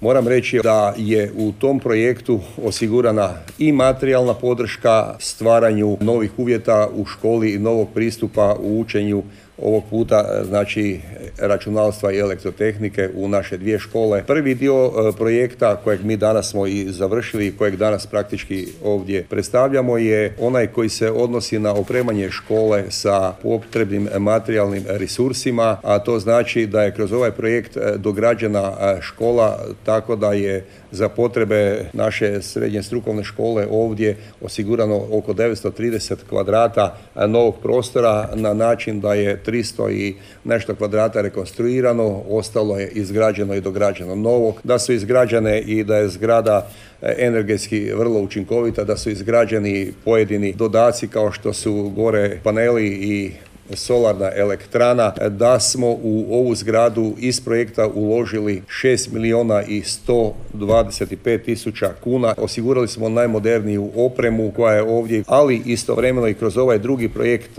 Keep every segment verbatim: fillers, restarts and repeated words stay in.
Moram reći da je u tom projektu osigurana i materijalna podrška stvaranju novih uvjeta u školi i novog pristupa u učenju ovog puta, znači računalstva i elektrotehnike u naše dvije škole. Prvi dio projekta kojeg mi danas smo i završili i kojeg danas praktički ovdje predstavljamo je onaj koji se odnosi na opremanje škole sa potrebnim materijalnim resursima, a to znači da je kroz ovaj projekt dograđena škola tako da je za potrebe naše srednje strukovne škole ovdje osigurano oko devetsto trideset kvadrata novog prostora na način da je tristo i nešto kvadrata rekonstruirano, ostalo je izgrađeno i dograđeno novo, da su izgrađene i da je zgrada energetski vrlo učinkovita, da su izgrađeni pojedini dodaci kao što su gore paneli i solarna elektrana, da smo u ovu zgradu iz projekta uložili šest milijuna i sto dvadeset pet tisuća kuna. Osigurali smo najmoderniju opremu koja je ovdje, ali istovremeno i kroz ovaj drugi projekt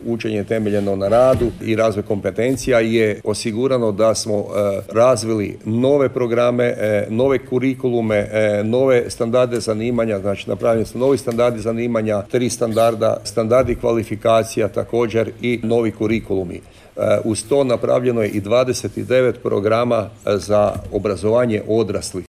učenje temeljeno na radu i razvoj kompetencija je osigurano da smo razvili nove programe, nove kurikulume, nove standarde zanimanja, znači napravljeni su novi standardi zanimanja, tri standarda, standardi kvalifikacija također i novi kurikulumi. Uz to napravljeno je i dvadeset devet programa za obrazovanje odraslih.